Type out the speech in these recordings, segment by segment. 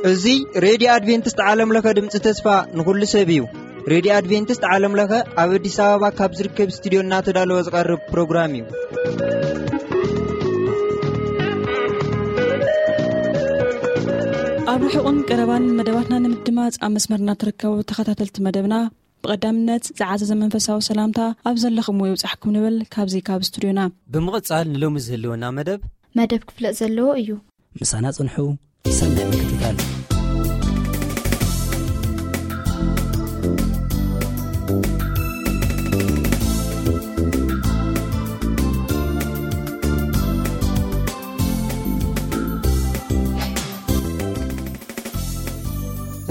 እዚ ሬድዮ ኣድቬንቲስት ዓለም ለኸ ድምፂ ተስፋ ንኹሉ ሰብ እዩ። ሬድዮ ኣድቬንቲስት ዓለም ለኸ ኣብ ኣዲስ ኣበባ ካብ ዝርከብ ስቱዲዮ እናተዳለወ ዝቐርብ ፕሮግራም እዩ። ኣብ ርሑቕን ቀረባን መደባትና ንምድማፅ ኣብ መስመርና ትርከቡ ተኸታተልቲ መደብና፣ ብቐዳምነት ዝዓዘዘ መንፈሳዊ ሰላምታ ኣብ ዘለኹምዎ ይብጻሕኩም ንብል ካብዚ ካብ ስቱድዮና። ብምቕጻል ንሎሚ ዝህልወና መደብ መደብ ክፍለጥ ዘለዎ እዩ። ምሳና ጽንሑ። ሰናይ ምክትታል።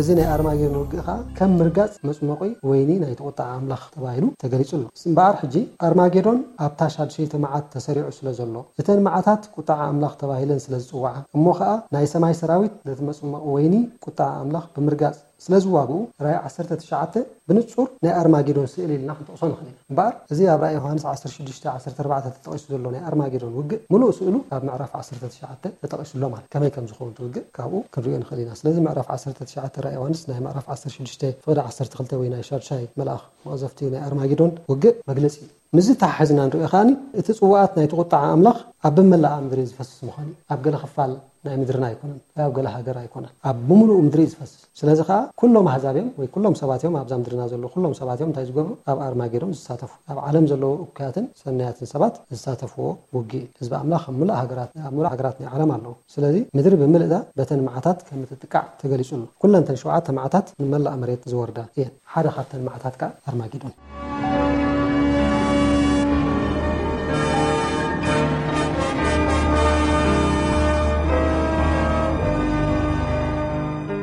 እዚ ናይ ኣርማጌዶን ውግእ ኸኣ ከም ምርጋጽ መጽመቑ ወይኒ ናይቲ ቁጥዓ ኣምላኽ ተባሂሉ ተገሊጹ ኣሎ። እምበኣር ሕጂ ኣርማጌዶን ኣብታ ሻድሸይቲ መዓት ተሰሪዑ ስለ ዘሎ፣ እተን መዓታት ቁጥዓ ኣምላኽ ተባሂለን ስለ ዝጽውዓ፣ እሞ ኸኣ ናይ ሰማይ ሰራዊት ነቲ መጽመቕ ወይኒ ቁጥዓ ኣምላኽ ብምርጋጽ ስለ ዝዋግኡ፣ ራእይ ዓሰርተ ትሽዓተ ብንጹር ናይ ኣርማጌዶን ስእሊ ኢልና ክንጠቕሶ ንኽእል ኢና። እምበኣር፣ እዚ ኣብ ራእይ ዮሃንስ ዓሰርተ ሽዱሽተ ዓሰርተ ኣርባዕተ ተጠቒሱ ዘሎ ናይ ኣርማጌዶን ውግእ፣ ምሉእ ስእሉ ኣብ ምዕራፍ ዓሰርተ ትሽዓተ ተጠቒሱ ኣሎ ማለት። ከመይ ከም ዝኸውን እቲ ውግእ ካብኡ ክንሪኦ ንኽእል ኢና። ስለዚ ምዕራፍ ዓሰርተ ትሽዓተ ራእይ ዮሃንስ ናይ ምዕራፍ ዓሰርተ ሽዱሽተ ፍቕዲ ዓሰርተ ክልተ ወይ ናይ ሻድሻይ መልኣኽ መቕዘፍቲ ናይ ኣርማጌዶን ውግእ መግለጺ እዩ። ምስዚ ተሓሒዝና ንሪኦ ከኣኒ፣ እቲ ጽዋኣት ናይቲ ቁጥዓ ኣምላኽ ኣብ መላኣ ምድሪ ዝፈስስ ምዃኑ እዩ። ኣብ ገለ ክፋል ናይ ምድርና ኣይኮነን፣ ወይ ኣብ ገለ ሃገር ኣይኮነን። ኣብ ብምሉኡ ምድሪ እዩ ዝፈስስ። ስለዚ ከኣ ኩሎም ኣህዛብ እዮም፣ ወይ ኩሎም ሰባት እዮም፣ ኣብዛ ምድርና ዘለዉ ኩሎም ሰባት እዮም እንታይ ዝገብሩ? ኣብ ኣርማጌዶን ዝሳተፉ። ኣብ ዓለም ዘለዉ እኩያትን ሰናያትን ሰባት ዝሳተፍዎ ውግእ እዩ። ህዝቢ ኣምላኽ ኣብ ምሉእ ሃገራት፣ ኣብ ምሉእ ሃገራት ናይ ዓለም ኣለዉ። ስለዚ ምድሪ ብምልእታ በተን መዓታት ከም እትጥቃዕ ተገሊጹ ኣሎ። ኩለን እተን ሸውዓተ መዓታት ንመላእ መሬት ዝወርዳ እየን። ሓደ ካብተን መዓታት ከኣ ኣርማጌዶን።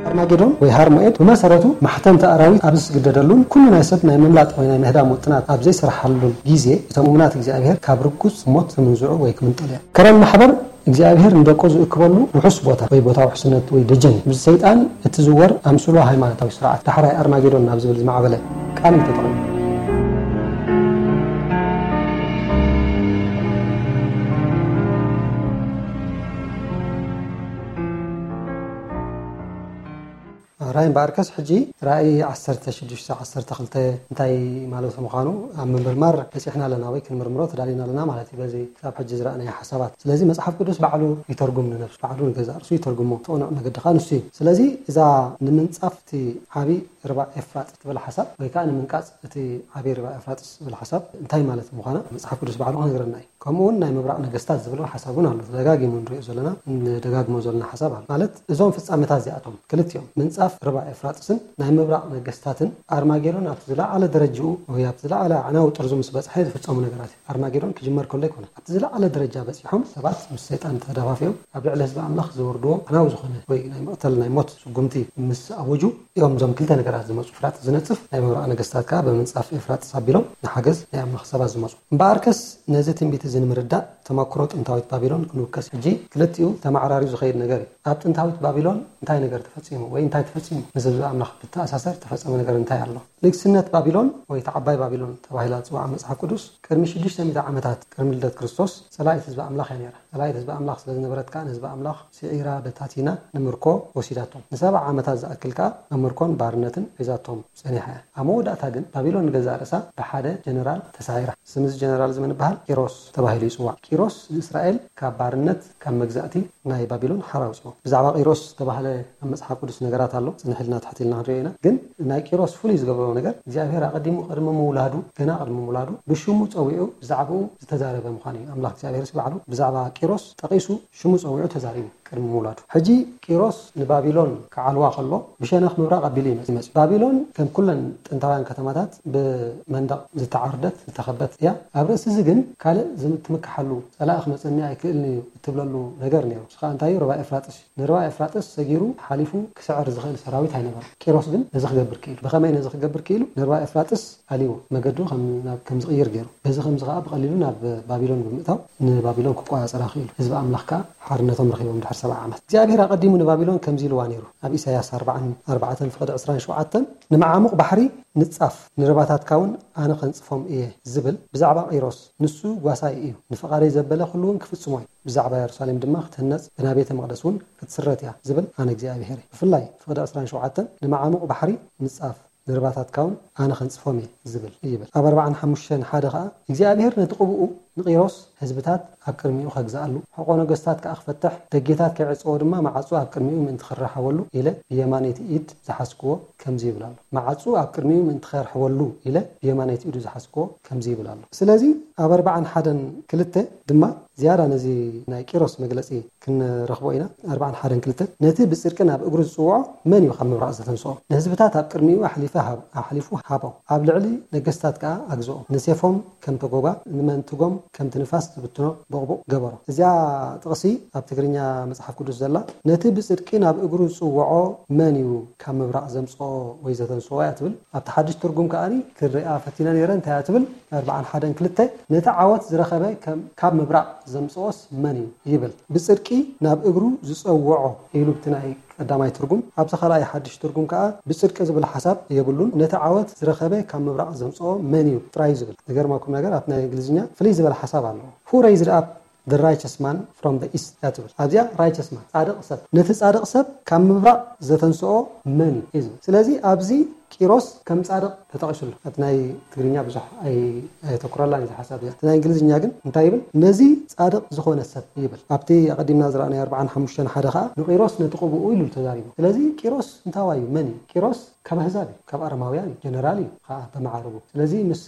ኣርማጌዶን ወይ ሃርሞኤድ ብመሰረቱ ማሕተምቲ ኣራዊት ኣብ ዝስግደደሉን ኩሉ ናይ ሰብ ናይ ምምላጥ ወይ ናይ ምህዳም ውጥናት ኣብ ዘይሰርሓሉን ግዜ፣ እቶም እሙናት እግዚኣብሔር ካብ ርጉጽ ሞት ክምንዝዑ ወይ ክምንጠሉ እዮም። ከረን ማሕበር እግዚኣብሔር ንደቁ ዝእክበሉ ውሑስ ቦታ ወይ ቦታ ውሕስነት ወይ ደጀን እዩ። ምስ ሰይጣን እትዝወር ኣምስሎ ሃይማኖታዊ ስርዓት ዳሕራይ ኣርማጌዶን ናብ ዝብል ዝማዕበለ ቃል እዩ ተጠቒሙ። ራይ እምበኣርከስ ሕጂ ራእይ ዓሰርተ ሽዱሽተ ዓሰርተ ክልተ እንታይ ማለት ምዃኑ ኣብ ምምርማር በጺሕና ኣለና ወይ ክንምርምሮ ተዳሊና ኣለና ማለት እዩ። በዚ ክሳብ ሕጂ ዝረኣናዮ ሓሳባት። ስለዚ መጽሓፍ ቅዱስ ባዕሉ ይተርጉም ንነብሱ፣ ባዕሉ ንገዛእ ርእሱ ይተርጉሞ። እቲ ቅኑዕ መገዲ ከኣ ንሱ እዩ። ስለዚ እዛ ንምንጻፍ እቲ ዓቢ ርባ ኤፍራጥስ ትብል ሓሳብ ወይ ከኣ ንምንቃጽ እቲ ዓቢ ርባ ኤፍራጥስ ዝብል ሓሳብ እንታይ ማለት ምዃና መጽሓፍ ቅዱስ ባዕሉ ክነግረና እዩ። ከምኡ እውን ናይ ምብራቕ ነገስታት ዝብል ሓሳብ እውን ኣሎ። ተደጋጊሙ ንሪኦ ዘለና፣ ንደጋግሞ ዘለና ሓሳብ ኣሎ። ማለት እዞም ፍጻመታት እዚኣቶም ክልቲኦም ምንጻፍ ርባ ኤፍራጥስን ናይ ምብራቕ ነገስታትን ኣርማጌዶን ኣብቲ ዝለዓለ ደረጃኡ ወይ ኣብቲ ዝለዓለ ኣዕናዊ ጥርዙ ምስ በጽሐ ዝፍጸሙ ነገራት እዩ። ኣርማጌዶን ክጅመር ከሎ ኣይኮነን። ኣብቲ ዝለዓለ ደረጃ በጺሖም ሰባት ምስ ሰይጣን ተደፋፊኦም ኣብ ልዕሊ ህዝቢ ኣምላኽ ዝወርድዎ ኣዕናዊ ዝኾነ ወይ ናይ መቕተል ናይ ሞት ስጉምቲ ምስ ኣወጁ እዮም እዞም ክልተ ነገራት ዝመጹ። ፍራጥ ዝነጽፍ ናይ ምብራቕ ነገስታት ከኣ ብምንጻፍ ኤፍራጥስ ኣቢሎም ንሓገዝ ናይ ኣምላኽ ሰባት ዝመጹ። እምበኣርከስ ነዚ ትንቢት እዚ ንምርዳእ ተመክሮ ጥንታዊት ባቢሎን ክንውከስ። ሕጂ ክልቲኡ ተመዓራርዩ ዝኸይድ ነገር እዩ። ኣብ ጥንታዊት ባቢሎን እንታይ ነገር ተፈጺሙ ወይ እንታይ ተፈጺሙ ምስ ህዝቢ ኣምላኽ ብተኣሳሰር ተፈጸመ ነገር እንታይ ኣሎ? ንግስነት ባቢሎን ወይ እቲ ዓባይ ባቢሎን ተባሂላ ዝጽዋዕ መጽሓፍ ቅዱስ ቅድሚ ሽዱሽተ ሚእቲ ዓመታት ቅድሚ ልደት ክርስቶስ ጸላኢት ህዝቢ ኣምላኽ እያ ነይራ። ጸላኢት ህዝቢ ኣምላኽ ስለ ዝነበረት ከኣ ንህዝቢ ኣምላኽ ስዒራ በታቲና ንምርኮ ወሲዳቶም። ንሰብዓ ዓመታት ዝኣክል ከኣ ኣብ ምርኮን ባርነትን ሒዛቶም ጸኒሓ እያ። ኣብ መወዳእታ ግን ባቢሎን ንገዛእ ርእሳ ብሓደ ጀነራል ተሳዒራ። ስም እዚ ጀነራል እዚ መን ይበሃል? ቂሮስ ተባሂሉ ይጽዋዕ። ቂሮስ ንእስራኤል ካብ ባርነት፣ ካብ መግዛእቲ ናይ ባቢሎን ሓራ ኣውጽኦ። ብዛዕባ ቂሮስ ዝተባህለ ኣብ መጽሓፍ ቅዱስ ነገራት ኣሎ። ጽንሕ ኢልና ትሕት ኢልና ክንሪኦ ኢና። ግን ናይ ቂሮስ ፍሉይ ዝገብሮ ነገር እግዚኣብሔር ኣቐዲሙ ቅድሚ ምውላዱ፣ ገና ቅድሚ ምውላዱ ብሽሙ ጸዊዑ ብዛዕባኡ ዝተዛረበ ምዃኑ እዩ። ኣምላኽ እግዚኣብሔር ባዕሉ ብዛዕባ ቂሮስ ጠቒሱ ሽሙ ጸዊዑ ተዛሪቡ ቅድሚ ምውላዱ። ሕጂ ቂሮስ ንባቢሎን ክዓልዋ ከሎ ብሸነኽ ምብራቕ ኣቢሉ እዩ መጺኡ። ባቢሎን ከም ኩለን ጥንታውያን ከተማታት ብመንደቕ ዝተዓርደት ዝተኸበት እያ። ኣብ ርእሲ እዚ ግን ካልእ ዝም-፣ ትምክሓሉ ጸላኢ ክመጸኒ ኣይክእልን እዩ እትብለሉ ነገር ነይሩ። ንሱ ከኣ እንታይ እዩ? ርባ ኤፍራጥስ እዩ። ንርባ ኤፍራጥስ ሰጊሩ ሓሊፉ ክስዕር ዝኽእል ሰራዊት ኣይነበረን። ቂሮስ ግን ነዚ ክገብር ክኢሉ። ብኸመይ ነዚ ክገብር ክኢሉ? ንርባ ኤፍራጥስ ኣልይዎ መገዱ ከም፣ ናብ፣ ከም ዝቕይር ገይሩ። በዚ ከምዚ ከኣ ብቐሊሉ ናብ ባቢሎን ብምእታው ንባቢሎን ክቆጻጸራ ክኢሉ። ህዝቢ ኣምላኽ ከኣ ሓርነቶም ረኺቦም ድሕር ሰብዓ ዓመት። እግዚኣብሔር ኣቐዲሙ ንባቢሎን ከምዚ ኢልዋ ነይሩ። ኣብ ኢሳያስ ኣርባዓን ኣርባዕተን ፍቕዲ ዕስራን ሸውዓተን፣ "ንመዓሙቕ ባሕሪ ንጻፍ፣ ንርባታትካ እውን ኣነ ኸንጽፎም እየ" ዝብል ብዛዕባ ቂሮስ፣ "ንሱ ጓሳይ እዩ፣ ንፍቓደይ ዘበለ ኩሉ እውን ክፍጽሞ እዩ፣ ብዛዕባ የሩሳሌም ድማ ክትህነጽ፣ ብና ቤተ መቕደስ እውን ክትስረት እያ" ዝብል ኣነ እግዚኣብሔር እየ። ብፍላይ ፍቕዲ ዕስራን ሸውዓተን፣ "ንመዓሙቕ ባሕሪ ንጻፍ፣ ንርባታትካ እውን ኣነ ኸንጽፎም እየ" ዝብል ይብል። ኣብ ኣርባዓን ሓሙሽተን ሓደ ኸኣ፣ እግዚኣብሔር ነቲ ቅብኡ ንቂሮስ ህዝብታት ኣብ ቅድሚኡ ኸግዝኣሉ፣ ሕቖ ነገስታት ከኣ ክፈትሕ፣ ደጌታት ከይዕጽዎ ድማ፣ መዓጹ ኣብ ቅድሚኡ ምእንቲ ክረሓወሉ ኢለ ብየማነይቲ ኢድ ዝሓዝክዎ ከምዚ ይብል ኣሎ። መዓጹ ኣብ ቅድሚኡ ምእንቲ ከርሕወሉ ኢለ ብየማነይቲ ኢዱ ዝሓዝክዎ ከምዚ ይብል ኣሎ። ስለዚ ኣብ ኣርባዓን ሓደን ክልተ ድማ ዝያዳ ነዚ ናይ ቂሮስ መግለጺ ክንረኽቦ ኢና። ኣርባዓን ሓደን ክልተ፣ "ነቲ ብጽድቂ ናብ እግሩ ዝጽውዖ መን እዩ ካብ ምብራቕ ዘተንስኦ? ንህዝብታት ኣብ ቅድሚኡ ኣሕሊፈ ሃብ-፣ ኣሕሊፉ ሃቦ፣ ኣብ ልዕሊ ነገስታት ከኣ ኣግዝኦ። ንሴፎም ከም ተጎጓ፣ ንመንትጎም ከምቲ ንፋስ ዝብትኖ ቦቕቡቕ ገበሮ።" እዚኣ ጥቕሲ ኣብ ትግርኛ መጽሓፍ ቅዱስ ዘላ፣ "ነቲ ብጽድቂ ናብ እግሩ ዝጽውዖ መን እዩ ካብ ምብራቕ ዘምጽኦ ወይ ዘተንስኦ?" እያ ትብል። ኣብቲ ሓድሽ ትርጉም ከኣ ክንሪኣ ፈቲነ ነይረ። እንታይ እያ ትብል? ኣርባዓን ሓደን ክልተ፣ "ነቲ ዓወት ዝረኸበ ከም-፣ ካብ ምብራቕ ዘምጽኦስ መን እዩ?" ይብል። "ብጽድቂ ናብ እግሩ ዝጸውዖ" ኢሉ ብቲ ናይ ቀዳማይ ትርጉም። ኣብዚ ካልኣይ ሓድሽ ትርጉም ከኣ ብጽድቂ ዝብል ሓሳብ የብሉን። "ነቲ ዓወት ዝረኸበ ካብ ምብራቕ ዘምጽኦ መን እዩ?" ጥራይ እዩ ዝብል። ዝገርመኩም ነገር፣ ኣብቲ ናይ እንግሊዝኛ ፍልይ ዝበለ ሓሳብ ኣለዎ። "Who raised up the righteous man from the east?" እያ ትብል። ኣብዚኣ righteous man፣ ጻድቕ ሰብ፣ "ነቲ ጻድቕ ሰብ ካብ ምብራቕ ዘተንስኦ መን እዩ?" እዩ ዝብል። ስለዚ ኣብዚ ቂሮስ ከም ጻድቕ ተጠቒሱ ኣሎ። እቲ ናይ ትግርኛ ብዙሕ ኣይ-፣ ኣየተኩረላን እዚ ሓሳብ እዚኣ። እቲ ናይ እንግሊዝኛ ግን እንታይ ይብል? "ነዚ ጻድቕ ዝኾነ ሰብ" ይብል። ኣብቲ ኣቐዲምና ዝረኣናዮ ኣርባዓን ሓሙሽተን ሓደ ኸኣ ንቂሮስ ነቲ ቅብኡ ኢሉ ተዛሪቡ። ስለዚ ቂሮስ እንታዋይ እዩ? መን እዩ? ቂሮስ ካብ ኣህዛብ እዩ፣ ካብ ኣረማውያን እዩ፣ ጀነራል እዩ ኸኣ ብመዓርጉ። ስለዚ ምስ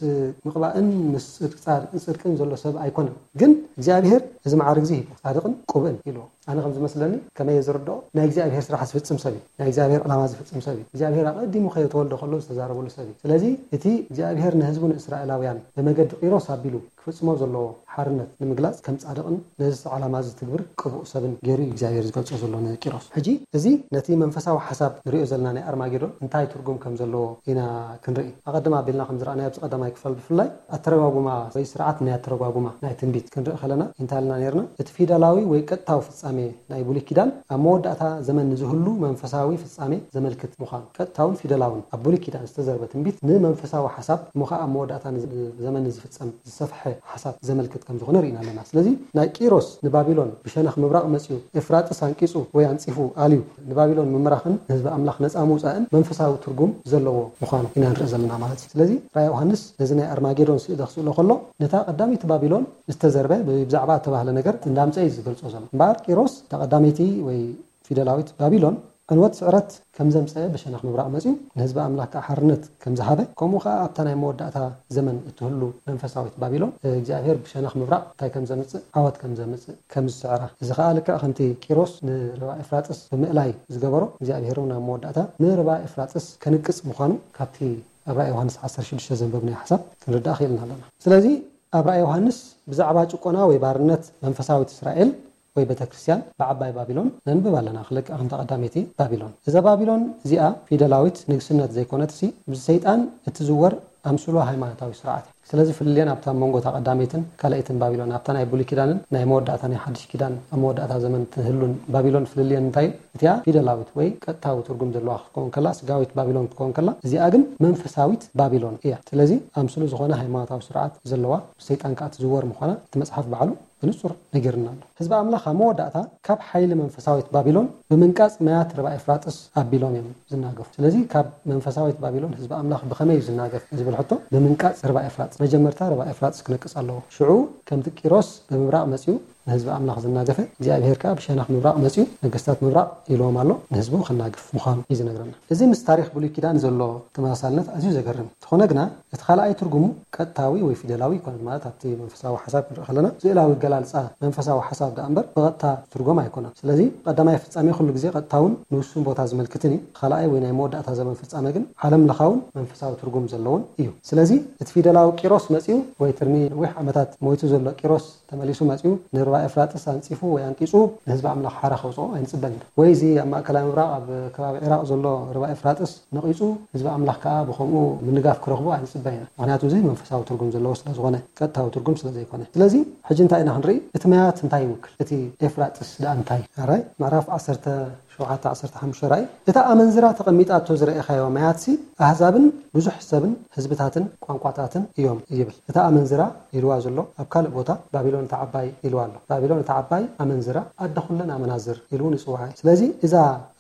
ምቕባእን ምስ ጽድቅ-፣ ጻድቅን ጽድቅን ዘሎ ሰብ ኣይኮነን። ግን እግዚኣብሔር እዚ መዓርግ እዚ ሂቡ፣ ጻድቕን ቅቡእን ኢልዎ። ኣነ ከም ዝመስለኒ፣ ከመይ እየ ዝርድኦ፣ ናይ እግዚኣብሔር ስራሕ ዝፍጽም ሰብ እዩ። ናይ እግዚኣብሔር ዕላማ ዝፍጽም ሰብ እዩ። እግዚኣብሔር ኣቐዲሙ ከይተወልደ ከሎ ዝተዛረበሉ ሰብ እዩ። ስለዚ እቲ እግዚኣብሔር ንህዝቡ ንእስራኤላውያን ብመገዲ ቂሮስ ኣቢሉ ክፍጽሞ ዘለዎ ሓርነት ንምግላጽ ከም ጻድቕን ነዚ ዕላማ ዝትግብር ቅቡእ ሰብን ገይሩ እዩ እግዚኣብሔር ዝገልጾ ዘሎ ንቂሮስ። ሕጂ እዚ ነቲ መንፈሳዊ ሓሳብ ንሪኦ ዘለና ናይ ኣርማጌዶን እንታይ ትርጉም ከም ዘለዎ ኢና ክንርኢ። ኣቐድም ኣቢልና ከም ዝረኣናዮ ኣብዚ ቀዳማይ ክፋል ብፍላይ ኣተረጓጉማ ወይ ስርዓት ናይ ኣተረጓጉማ ናይ ትንቢት ክንርኢ ከለና እንታይ ኢልና ነይርና? እቲ ፊደላዊ ወይ ቀጥታዊ ፍጻሜ ናይ ብሉይ ኪዳን ኣብ መወዳእታ ዘመን ንዝህሉ መንፈሳዊ ፍጻሜ ዘመልክት ምዃኑ፣ ቀጥታውን ፊደላውን ኣብ ብሉይ ኪዳን ዝተዘርበ ትንቢት ንመንፈሳዊ ሓሳብ እሞ ኸኣ ኣብ መወዳእታ ንዝ-፣ ዘመን ንዝፍጸም ዝሰፍሐ ሓሳብ ዘመልክት ከም ዝኾነ ርኢና ኣለና። ስለዚ ናይ ቂሮስ ንባቢሎን ብሸነኽ ምብራቕ መጺኡ ኤፍራጥስ ኣንቂጹ ወይ ኣንጺፉ ኣልዩ ንባቢሎን ምምራኽን ንህዝቢ ኣምላኽ ነጻ ምውጻእን መንፈሳዊ ትርጉም ዘለዎ ምዃኑ ኢና ንርኢ ዘለና ማለት እዩ። ስለዚ ራእይ ዮሃንስ ነዚ ናይ ኣርማጌዶን ስእሊ ክስእሎ ከሎ ነታ ቀዳመይቲ ባቢሎን ዝተዘርበ ብዛዕባ እተባህለ ነገር እንዳምጸ እዩ ዝገልጾ ዘሎ። እምበኣር ቂሮስ እታ ቀዳመይቲ ወይ ፊደላዊት ባቢሎን ዕንወት ስዕረት ከም ዘምጸአ ብሸነኽ ምብራቕ መጺኡ ንህዝቢ ኣምላኽ ከኣ ሓርነት ከም ዝሃበ፣ ከምኡ ከኣ ኣብታ ናይ መወዳእታ ዘመን እትህሉ መንፈሳዊት ባቢሎን እግዚኣብሔር ብሸነኽ ምብራቕ እንታይ ከም ዘምጽእ፣ ዓወት ከም ዘምጽእ፣ ከም ዝስዕራ። እዚ ከኣ ልክዕ ከምቲ ቂሮስ ንርባ ኤፍራጥስ ብምእላይ ዝገበሮ፣ እግዚኣብሔር እውን ኣብ መወዳእታ ንርባ ኤፍራጥስ ከንቅጽ ምዃኑ ካብቲ ኣብ ራእይ ዮሃንስ ዓሰርተ ሽዱሽተ ዘንበብናዮ ሓሳብ ክንርዳእ ክኢልና ኣለና። ስለዚ ኣብ ራእይ ዮሃንስ ብዛዕባ ጭቆና ወይ ባርነት መንፈሳዊት እስራኤል ወይ ቤተክርስትያን ብዓባይ ባቢሎን ነንብብ ኣለና፣ ክልክዕ ከምታ ቀዳመይቲ ባቢሎን። እዛ ባቢሎን እዚኣ ፊደላዊት ንግስነት ዘይኮነትሲ፣ ብሰይጣን እትዝወር ኣምስሎ ሃይማኖታዊ ስርዓት እያ። ስለዚ ፍልልየን ኣብታ መንጎ እታ ቀዳመይትን ካልኣይትን ባቢሎን፣ ኣብታ ናይ ብሉይ ኪዳንን ናይ መወዳእታ ናይ ሓድሽ ኪዳን ኣብ መወዳእታ ዘመን ትህሉን ባቢሎን ፍልልየን እንታይ እዩ? እቲኣ ፊደላዊት ወይ ቀጥታዊ ትርጉም ዘለዋ ክትከውን ከላ፣ ስጋዊት ባቢሎን ክትከውን ከላ፣ እዚኣ ግን መንፈሳዊት ባቢሎን እያ። ስለዚ ኣምስሉ ዝኾነ ሃይማኖታዊ ስርዓት ዘለዋ፣ ብሰይጣን ከኣ ትዝወር ምዃና እቲ መጽሓፍ ባዕሉ ብንጹር ነጊርና ኣሎ። ህዝቢ ኣምላኽ ኣብ መወዳእታ ካብ ሓይሊ መንፈሳዊት ባቢሎን ብምንቃጽ ማያት ርባ ኤፍራጥስ ኣቢሎም እዮም ዝናገፉ። ስለዚ ካብ መንፈሳዊት ባቢሎን ህዝቢ ኣምላኽ ብኸመይ እዩ ዝናገፍ ዝብል ሕቶ፣ ብምንቃጽ ርባ ኤፍራጥስ፣ መጀመርታ ርባ ኤፍራጥስ ክነቅጽ ኣለዎ። ሽዑ ከምቲ ቂሮስ ብምብራቕ መጺኡ ንህዝቢ ኣምላኽ ዝናገፈ፣ እግዚኣብሔር ከኣ ብሸነኽ ምብራቕ መጺኡ ነገስታት ምብራቕ ኢልዎም ኣሎ፣ ንህዝቡ ክናግፍ ምዃኑ እዩ ዝነግረና። እዚ ምስ ታሪኽ ብሉይ ኪዳን ዘሎ ተመሳሳልነት ኣዝዩ ዘገርም እዩ። እንተኾነ ግና፣ እቲ ካልኣይ ትርጉሙ ቀጥታዊ ወይ ፊደላዊ ኣይኮነን፣ ማለት ኣብቲ መንፈሳዊ ሓሳብ ክንርኢ ከለና፣ ስእላዊ ኣገላልጻ መንፈሳዊ ሓሳብ ደኣ እምበር ብቐጥታ ትርጉም ኣይኮነን። ስለዚ ቀዳማይ ፍጻሜ ኩሉ ግዜ ቀጥታውን ንውሱን ቦታ ዝመልክትን እዩ። እቲ ካልኣይ ወይ ናይ መወዳእታ ዘመን ፍጻሜ ግን ዓለም ለኻውን መንፈሳዊ ትርጉም ዘለዎን እዩ። ስለዚ እቲ ፊደላዊ ቂሮስ መጺኡ ወይ ቅድሚ ነዊሕ ዓመታት ሞይቱ ዘሎ ቂሮስ ተመሊሱ መጺኡ ንርባ ኤፍራጥስ ኣንጺፉ ወይ ኣንቂጹ ንህዝቢ ኣምላኽ ሓራ ከውጽኦ ኣይንጽበን ኢና። ወይ እዚ ኣብ ማእከላይ ምብራቕ ኣብ ከባቢ ዒራቕ ዘሎ ርባ ኤፍራጥስ ነቒጹ ህዝቢ ኣምላኽ ከኣ ብኸምኡ ምንጋፍ ክረኽቦ ኣይንጽበን ኢና። ምኽንያቱ እዚ መንፈሳዊ ትርጉም ዘለዎ ስለ ዝኾነ፣ ቀጥታዊ ትርጉም ስለ ዘይኮነ። ስለዚ ሕጂ እንታይ ኢና ክንርኢ? እቲ ማያት እንታይ ይውክል? እቲ ኤፍራጥስ ደኣ እንታይ? ኣራይ ምዕራፍ ዓሰርተ ሸውዓተ ዓሰርተ ሓሙሽተ ራእይ፣ እታ ኣመንዝራ ተቐሚጣቶ ዝረኤኻዮ ማያትሲ ኣህዛብን ብዙሕ ሰብን ህዝብታትን ቋንቋታትን እዮም ይብል። እታ ኣመንዝራ ኢልዋ ዘሎ ኣብ ካልእ ቦታ ባቢሎን እታ ዓባይ ኢልዋ ኣሎ። ባቢሎን እታ ዓባይ ኣመንዝራ ኣደ ኩለን ኣመናዝር ኢሉ እውን ይጽውዓ እዩ። ስለዚ እዛ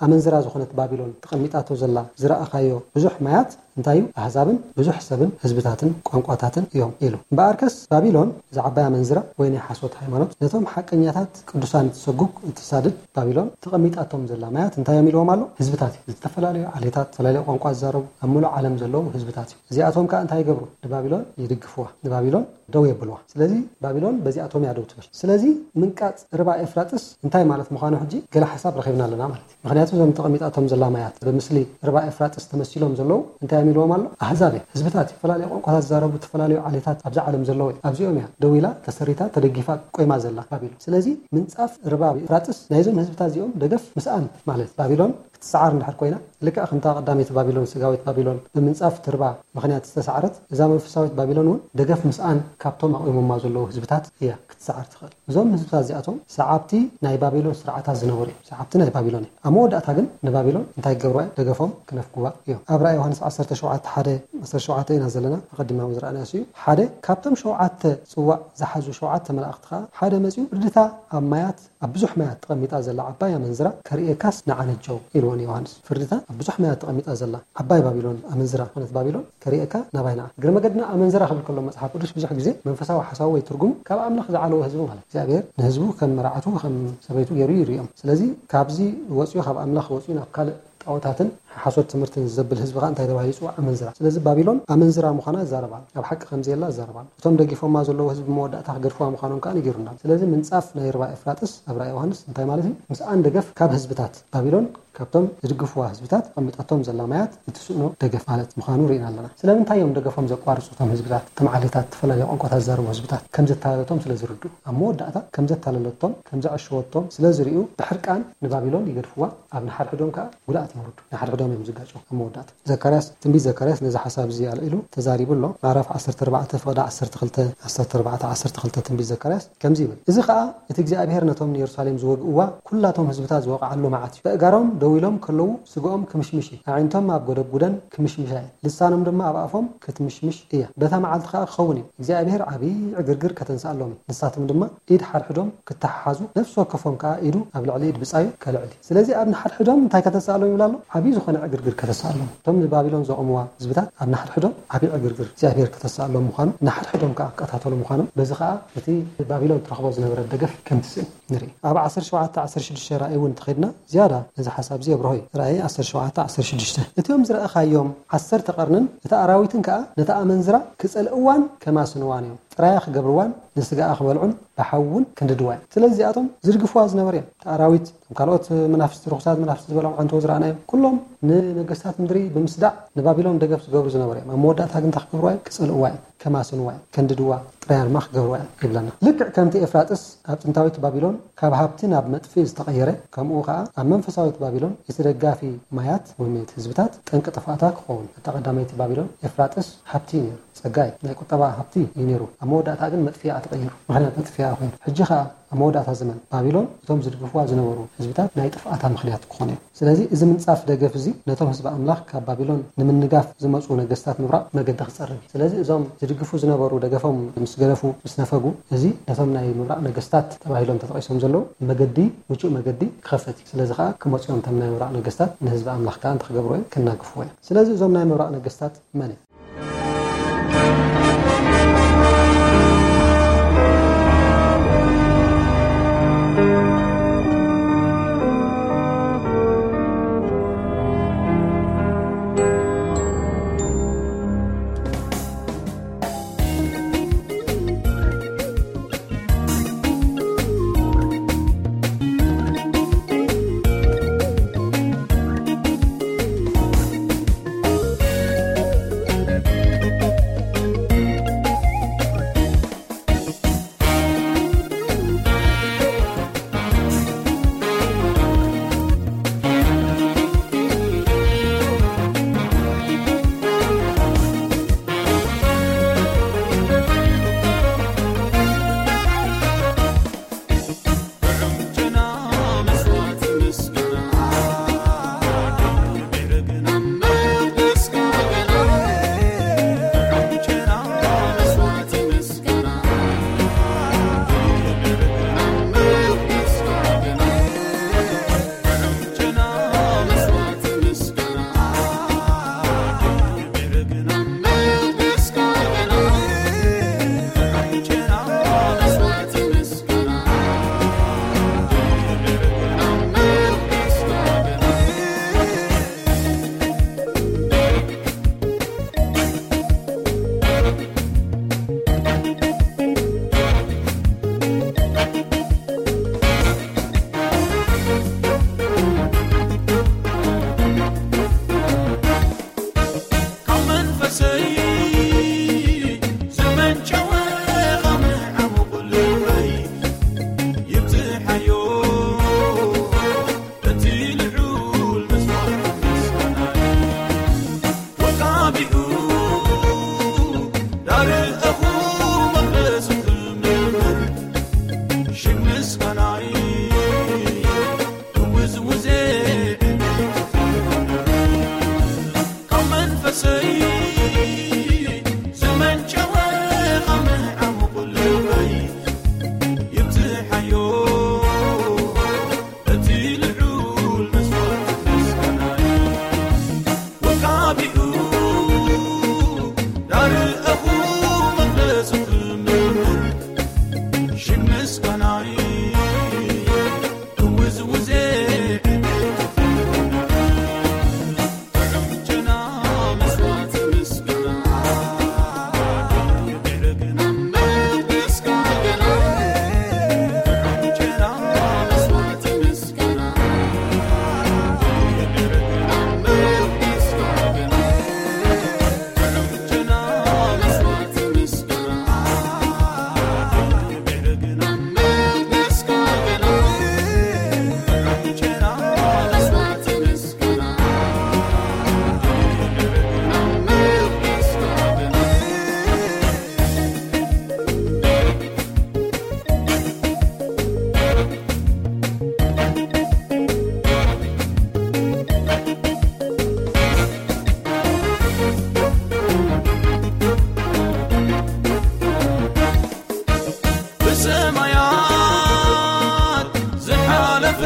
ኣመንዝራ ዝኾነት ባቢሎን ተቐሚጣቶ ዘላ ዝረኣኻዮ ብዙሕ ማያት እንታይ እዩ? ኣህዛብን ብዙሕ ሰብን ህዝብታትን ቋንቋታትን እዮም ኢሉ። እምበኣርከስ ባቢሎን እዛ ዓባይ ኣመንዝራ ወይ ናይ ሓሶት ሃይማኖት ነቶም ሓቀኛታት ቅዱሳን እትሰጉግ እትሳድድ ባቢሎን ተቐሚጣቶም ዘላ ማያት እንታይ እዮም ኢልዎም ኣሎ? ህዝብታት እዩ። ዝተፈላለዩ ዓሌታት፣ ዝተፈላለዩ ቋንቋ ዝዛረቡ ኣብ ሙሉእ ዓለም ዘለዉ ህዝብታት እዩ። እዚኣቶም ከኣ እንታይ ይገብሩ? ንባቢሎን ይድግፍዋ፣ ንባቢሎን ደው የብልዋ። ስለዚ ባቢሎን በዚኣቶም እያ ደው ትብል። ስለዚ ምንቃጽ ርባ ኤፍራጥስ እንታይ ማለት ምዃኑ ሕጂ ገለ ሓሳብ ረኺብና ኣለና ማለት እዩ። ምኽንያቱ እዞም ተቐሚጣቶም ዘላ ማያት ብምስሊ ርባ ኤፍራጥስ ተመሲሎም ዘለዉ እንታይ እዮም ኢልዎም ኣሎ? ኣህዛብ እዮም፣ ህዝብታት እዮም፣ ዝተፈላለዩ ቋንቋታት ዝዛረቡ፣ ዝተፈላለዩ ዓሌታት ኣብዚ ዓለም ዘለዉ እዮም። ኣብዚኦም እያ ደው ኢላ፣ ተሰሪታ፣ ተደጊፋ ቆይማ ዘላ ባቢሎን። ስለዚ ምንጻፍ ርባ ኤፍራጥስ ናይዞም ህዝብታት እዚኦም ደገፍ ምስኣን ማለት ባቢሎን ክትሰዓር እንድሕር ኮይና፣ ልክዕ ከምታ ቀዳመይቲ ባቢሎን፣ ስጋዊት ባቢሎን ብምንጻፍ ትርባ ምኽንያት ዝተሰዓረት፣ እዛ መንፈሳዊት ባቢሎን እውን ደገፍ ምስኣን ካብቶም ኣቑሞማ ዘለዉ ህዝብታት እያ ክትሰዓር ትኽእል። እዞም ህዝብታት እዚኣቶም ሰዓብቲ ናይ ባቢሎን ስርዓታት ዝነበሩ እዮም። ሰዓብቲ ናይ ባቢሎን እዮም። ኣብ መወዳእታ ግን ንባቢሎን እንታይ ክገብርዋ እዮም? ደገፎም ክነፍግዋ እዮም። ኣብ ራእይ ዮሃንስ ዓሰርተ ሸውዓተ ሓደ ዓሰርተ ሸውዓተ ኢና ዘለና፣ ኣቐዲምና እውን ዝረኣናዮ እዩ። ሓደ ካብቶም ሸውዓተ ጽዋእ ዝሓዙ ሸውዓተ መላእኽቲ ኸዓ ሓደ መጺኡ፣ ፍርድታ ኣብ ማያት፣ ኣብ ብዙሕ ማያት ተቐሚጣ ዘላ ዓባይ ኣመንዝራ ከርእየካስ ንዓ ነጀው ኢልዎ ንዮሃንስ። ፍርድታ ኣብ ብዙሕ ማያት ተቐሚጣ ዘላ ዓባይ ባቢሎን፣ ኣመንዝራ ዝኾነት ባቢሎን ከርእየካ ናባይ ንዓ። እግረ መገድና ኣመንዝራ ክብል ከሎ መጽሓፍ ቅዱስ ብዙሕ ግዜ መንፈሳዊ ሓሳቡ ወይ ትርጉሙ ካብ ኣምላኽ ዝዓለዎ ህዝቢ ማለት እዩ። እግዚኣብሔር ንህዝቡ ከም መርዓቱ ከም ሰበይቱ ገይሩ ይርእዮም። ስለዚ ካብዚ ወፂኡ፣ ካብ ኣምላኽ ወፂኡ ናብ ካልእ ጣዖታትን ሓሶት ትምህርትን ዘብል ህዝቢ ከዓ እንታይ ተባሂሉ ይፅዋዕ? ኣመንዝራ። ስለዚ ባቢሎን ኣመንዝራ ምዃና ይዛረብ ኣሎ። ኣብ ሓቂ ከም ዘየላ ይዛረብ ኣሎ። እቶም ደጊፎማ ዘለዉ ህዝቢ መወዳእታ ክገድፍዋ ምዃኖም ከዓ ነጊሩና። ስለዚ ምንፃፍ ናይ ርባ ኤፍራጥስ ኣብ ራእይ ዮሃንስ እንታይ ማለት እዩ? ምስኣን ደገፍ ካብ ህዝብታት ባቢሎን፣ ካብቶም ዝድግፍዋ ህዝብታት ተቐሚጣቶም ዘላ ማያት እትስእኖ ደገፍ ማለት ምዃኑ ርኢና ኣለና። ስለምንታይ እዮም ደገፎም ዘቋርፁ? እቶም ህዝብታት፣ እቶም ዓሌታት፣ ዝተፈላለዩ ቋንቋታት ዝዛረቡ ህዝብታት ከም ዘታለለቶም ስለ ዝርድኡ፣ ኣብ መወዳእታ ከም ዘታለለቶም፣ ከም ዘዐሸወቶም ስለ ዝርእዩ ብሕርቃን ንባቢሎን ይገድፍዋ፣ ኣብ ንሓድሕዶም ከዓ ጉድኣት የውርዱ። ንሓድሕዶም እዮም ዝጋጨው ኣብ መወዳእታ። ዘካርያስ፣ ትንቢት ዘካርያስ ነዚ ሓሳብ እዚ ኣልዒሉ ተዛሪቡ ኣሎ። ምዕራፍ ዓሰርተ ኣርባዕተ ፍቕዲ ዓሰርተ ክልተ፣ ዓሰርተ ኣርባዕተ ዓሰርተ ክልተ ትንቢት ዘካርያስ ከምዚ ይብል፣ እዚ ኸኣ እቲ እግዚኣብሔር ነቶም ንየሩሳሌም ዝወግእዋ ኩላቶም ህዝብታት ዝወቕዓሉ መዓት እዩ። በእጋሮም ደው ኢሎም ከለዉ ስግኦም ክምሽምሽ እዩ። ኣዒንቶም ኣብ ጎደጉደን ክምሽምሻ እየን። ልሳኖም ድማ ኣብ ኣፎም ክትምሽምሽ እያ። በታ መዓልቲ ኸኣ ክኸውን እዩ፣ እግዚኣብሔር ዓብዪ ዕግርግር ከተንስኣሎም እዩ። ንሳቶም ድማ ኢድ ሓድሕዶም ክተሓሓዙ፣ ነፍሲ ወከፎም ከኣ ኢዱ ኣብ ልዕሊ ኢድ ብጻዩ ከልዕል እዩ። ስለዚ ኣብ ንሓድሕዶም እንታይ ከተስኣሎም ይብል ኣሎ? ዓብዪ ዝኾነ ዕግርግር ከተስኣሎም። እቶም ንባቢሎን ዘቑምዋ ህዝብታት ኣብ ንሓድሕዶም ዓብዪ ዕግርግር እግዚኣብሔር ከተስኣሎም ምዃኑ፣ ንሓድሕዶም ከኣ ክቀታተሉ ምዃኖም፣ በዚ ከኣ እቲ ባቢሎን ትረኽቦ ዝነበረት ደገፍ ከም ትስእን ንርኢ። ኣብ ዓሰርተ ሸውዓተ ዓሰርተ ሽዱሽተ ራእይ እውን እንተኸድና ዝያዳ ነዚ ሓሳብ እዚ የብርሆ እዩ። ራእይ ዓሰርተ ሸውዓተ ዓሰርተ ሽዱሽተ፣ እቲኦም ዝረኣኻዮም ዓሰርተ ቀርንን እታ ኣራዊትን ከኣ ነታ ኣመንዝራ ክጸልእዋን ከማስንዋን እዮም። ጥራያ ክገብርዋን ንስጋኣ ክበልዑን ብሓዊ እውን ክንድድዋ እዮም። ስለዚ እዚኣቶም ዝድግፍዋ ዝነበሩ እዮም። እቲ ኣራዊት፣ እቶም ካልኦት መናፍስቲ፣ ርኹሳት መናፍስቲ ዝበሎም ዓንተው ዝረኣናዮም፣ ኩሎም ንነገስታት ምድሪ ብምስዳዕ ንባቢሎን ደገፍ ዝገብሩ ዝነበሩ እዮም። ኣብ መወዳእታ ግን እንታይ ክገብርዋ እዮም? ክጸልእዋ እዮም፣ ከማስንዋ እዮም፣ ከንድድዋ፣ ጥራያ ድማ ክገብርዋ እዮም ይብለና። ልክዕ ከምቲ ኤፍራጥስ ኣብ ጥንታዊት ባቢሎን ካብ ሃብቲ ናብ መጥፍኢ ዝተቐየረ፣ ከምኡ ከኣ ኣብ መንፈሳዊት ባቢሎን እቲ ደጋፊ ማያት ወይ እቲ ህዝብታት ጠንቂ ጥፍኣታ ክኸውን። እታ ቀዳመይቲ ባቢሎን ኤፍራጥስ ሃብቲ እዩ ነይሩ። ጸጋ እዩ፣ ናይ ቁጠባ ሃብቲ እዩ ነይሩ። ኣብ መወዳእታ ግን መጥፍያ ተቐይሩ፣ ምኽንያት መጥፍያ ኮይኑ። ሕጂ ኸኣ ኣብ መወዳእታ ዘመን ባቢሎን እቶም ዝድግፍዋ ዝነበሩ ህዝብታት ናይ ጥፍኣታ ምኽንያት ክኾኑ እዮም። ስለዚ እዚ ምንጻፍ ደገፍ እዚ ነቶም ህዝቢ ኣምላኽ ካብ ባቢሎን ንምንጋፍ ዝመጹ ነገስታት ምብራቕ መገዲ ክጸርግ እዩ። ስለዚ እዞም ዝድግፉ ዝነበሩ ደገፎም ምስ ገደፉ፣ ምስ ነፈጉ፣ እዚ ነቶም ናይ ምብራቕ ነገስታት ተባሂሎም ተጠቒሶም ዘለዉ መገዲ፣ ምቹእ መገዲ ክኸፍት እዩ። ስለዚ ኸኣ ክመጹ እዮም እቶም ናይ ምብራቕ ነገስታት ንህዝቢ ኣምላኽ ከኣ እንታይ ክገብሩ እዮም? ክናግፍዎ እዮም። ስለዚ እዞም ናይ ምብራቕ ነገስታት መን እዮም? እኹ መቕደስ ክምር ሽግ ምስጋናይ ክውዝውዜ ካብ መንፈሰይ ዝመንጨወ ካብ ምዕሙቕ ልበይ ይብዝሓዮ እቲ ልዑል መስዋእቲ ምስጋናይ። ወካቢኡ ዳርኣኹ መቕደስ ክምር ሽግ ምስጋናይ ክውዝውዜ ብሰማያት ዝሓለፈ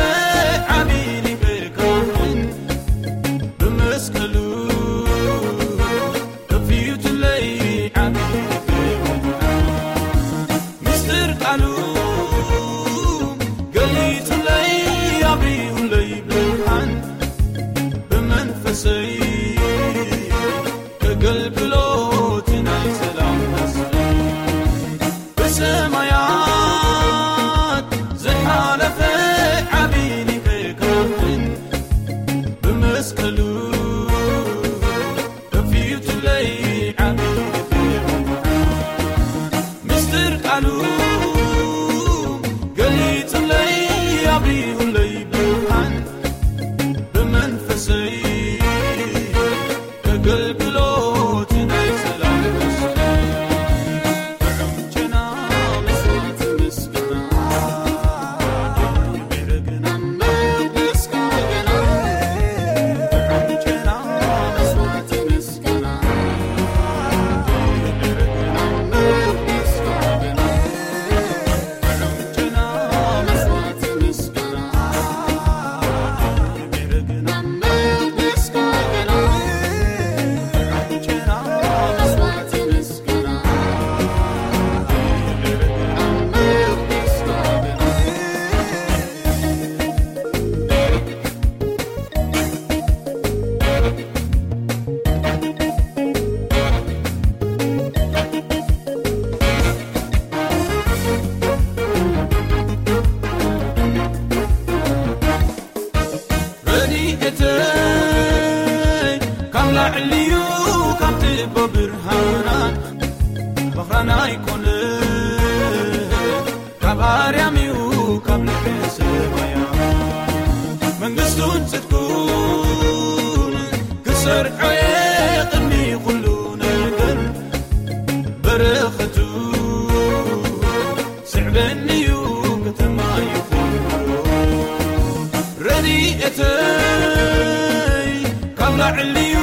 ዓቢ ሊቀ ካህን ብመስቀሉ ከፊቱለይ ዓቢ ሊቀ ካህን። ምስጢር ቃሉ ገሊጹለይ ኣብሪሁለይ ብርሃን ብመንፈሰይ ከገልግሎት ናይ ሰላም መስፍን ብሰማያት ዝሓለፈ ዓቢ ሊቀ ካህን ብመስቀሉ ከፊቱለይ ዓቢ ሊቀ ካህን። ምስጢር ቃሉ ገሊጹለይ ኣብሪሁለይ ብርሃን ብመንፈሰይ ከገልግሎት ናይ ሰላም መስፍን። ጥዑም ጨና መስዋዕቲ ምስጋና፣ ምዕርግና መቅደስካ ገና። ጥዑም ጨና መስዋዕቲ ምስጋና፣ ምዕርግና መቅደስካ ገና። ጥዑም ጨና መስዋዕቲ ምስጋና፣ ረድኤተይ ካብ ላዕሊዩ ካብ ትቦ ብርሃናት በኽራና ኣይኮነ ካብ ኣርያምዩ ካብ ልዕሊ ሰማያ መንግስቱን ጽድቁን ክሰርዖ እየ ቅድሚ ኩሉ ነገር በረኸቱ ስዕበኒዩ ከተማ ይኹን ረድኤተይ ካብ ላዕሊዩ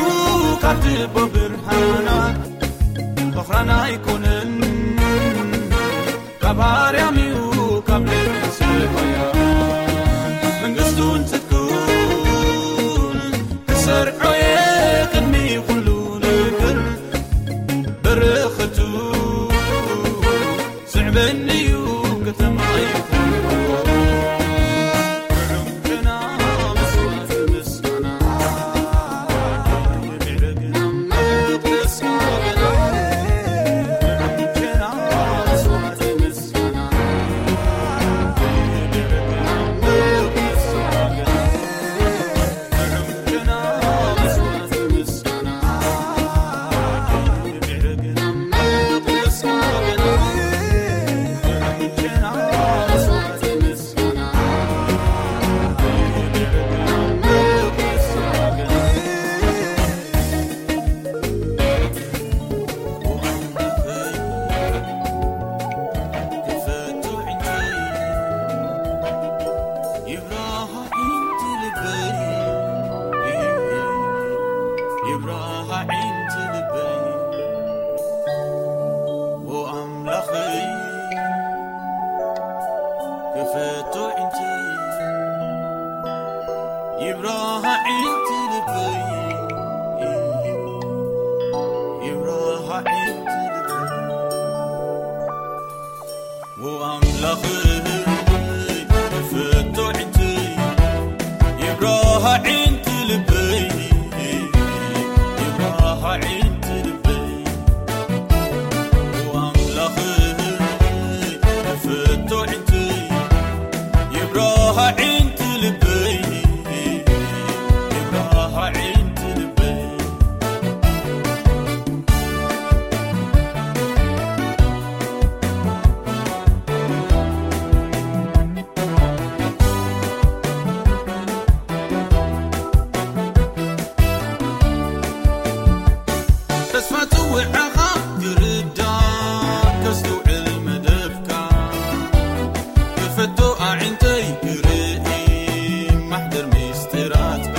ካብ ትቦ ብርሃናት በኽራና ኣይኮነን ካብ ኣርያምዩ ካብ ልዕሊ ሰማያ መንግስቱን ጽድቁን ክሰርዖ እየ ቅድሚ ኩሉ ነገር በረኸቱ ስዕበኒዩ ከተማ ይኹን ፍቶ ዒንቲ ይብራሃ ዒንቲ ልበይ፣ ይብራሃ ዒንቲ ልበይ። ኣምላኽ ፍቶ ዒንቲ ይብራሃ ዒንቲ ልበይ፣ ይብራሃ ዒንቲ ልበይ። ተስፋ ጽውዓኻ ክርዳእ ከስተውዕል መደብካ፣ ክፈቶ ኣዒንተይ ክርኢ ማሕደር ምስጢራትካ።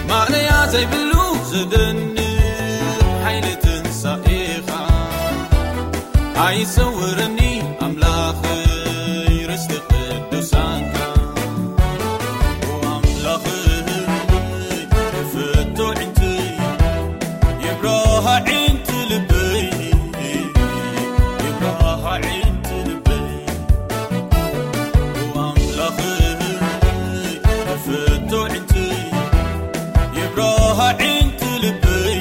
ማእለያ ዘይብሉ ዘደንቕ ሓይሊ ትንሳኤኻ ኣይሰውረኒ ኣምላኸይ ርስቲ ቅዱሳንካ። ኣምላኸይ ፍቶ ዒንቲ ይብራሃ ዒንቲ ልበይ፣ ይብራሃ ዒንቲ ልበይ። ኣምላኸይ ፍቶ ዒንቲ ይብራሃ ዒንቲ ልበይ፣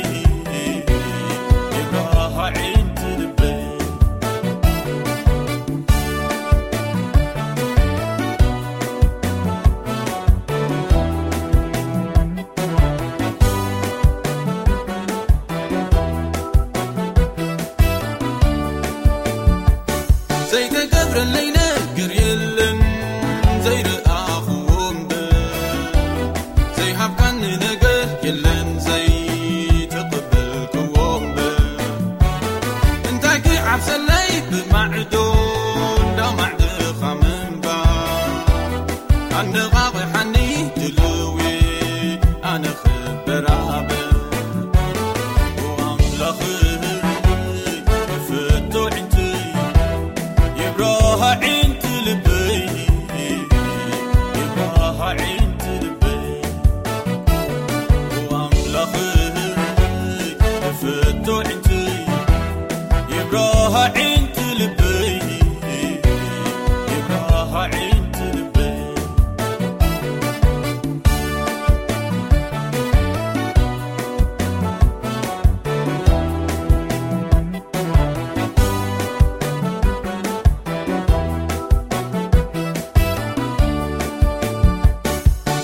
ይብራሃ ዒንቲ ልበይ። ዘይተገብረለይ ነገር የለን ዘይረኣኽዎ እምበር፣ ዘይሃብካኒ ነገር የለን ዘይተቐበልክዎ እምበር። እንታይ ክዓብሰለይ ብማዕዶ እንዳማዕድኻ ምንባር፣ ኣነቓቕሓኒ ድልዊ ኣነ ክበራበር። ኣምላኽ ፍቶ ዒንቲ ይብራሃ ዒንቲ ልበይ፣ ይብራሃ ዒንቲ ልበይ። ኣምላኽ ፍቶ ዒንቲ ይብራሃ ዒንቲ ልበይ፣ ይብራሃ ዒንቲ ልበይ።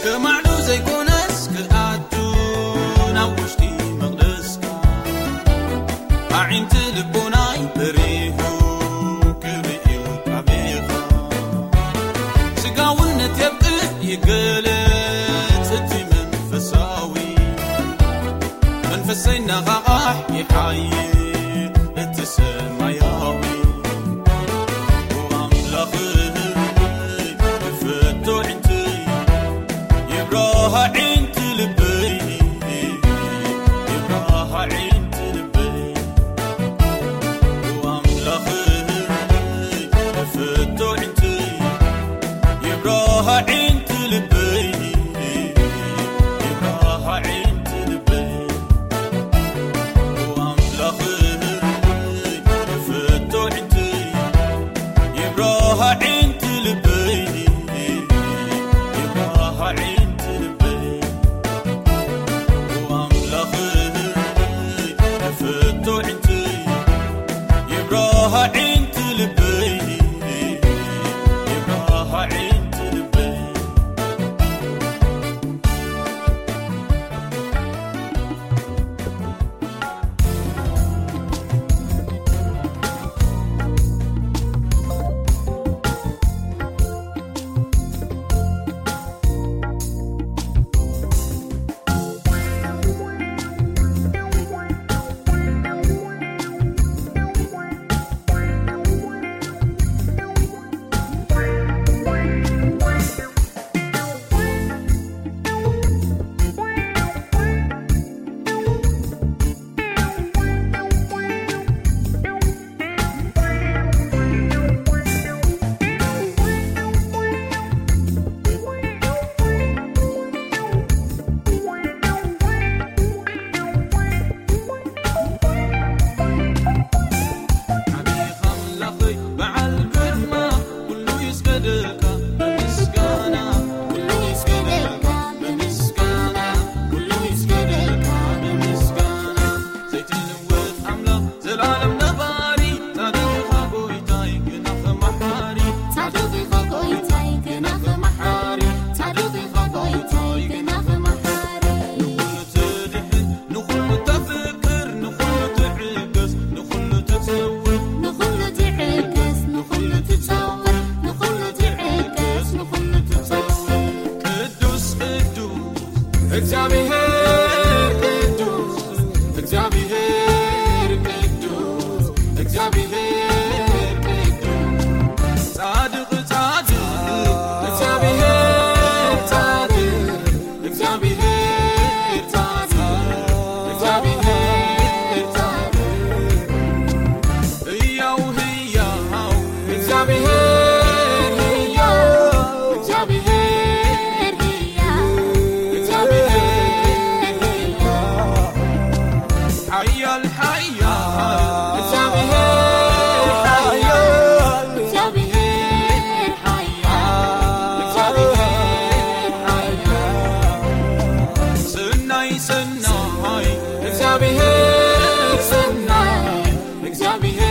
ከማዕዶ ዘይኮነስ ክኣቱ ናብ ውሽጢ መቕደስካ፣ ኣዒንቲ ልቦናይ በሪሁ ክርእዩ ቃቤኻ። ስጋውነት የብቅዕ ይገለጽ እቲ መንፈሳዊ፣ መንፈሰይ ነቓቓሕ ይሓይል እቲ ሰማያዊ። ኣምላኽ ፍቶ ዒንቲ ይብራሃ ዒንቲ ልበይ፣ ይብራሃ ዒንቲ ልበይ። ኣምላኽ ፍቶ ዒንቲ ይብራሃ ዒንቲ ልበይ፣ ይብራሃ ዒንቲ ልበይ። ኣምላኽ ፍቶ ዒንቲ ይብራሃ ዒንቲ ልበይ፣ ይብራሃ ዒንቲ ልበይ። ኣምላኽ ፍቶ ዒንቲ ይብራሃ ዒንቲ ልበይ፣ ይብራሃ ዒንቲ ልበይ። Mihe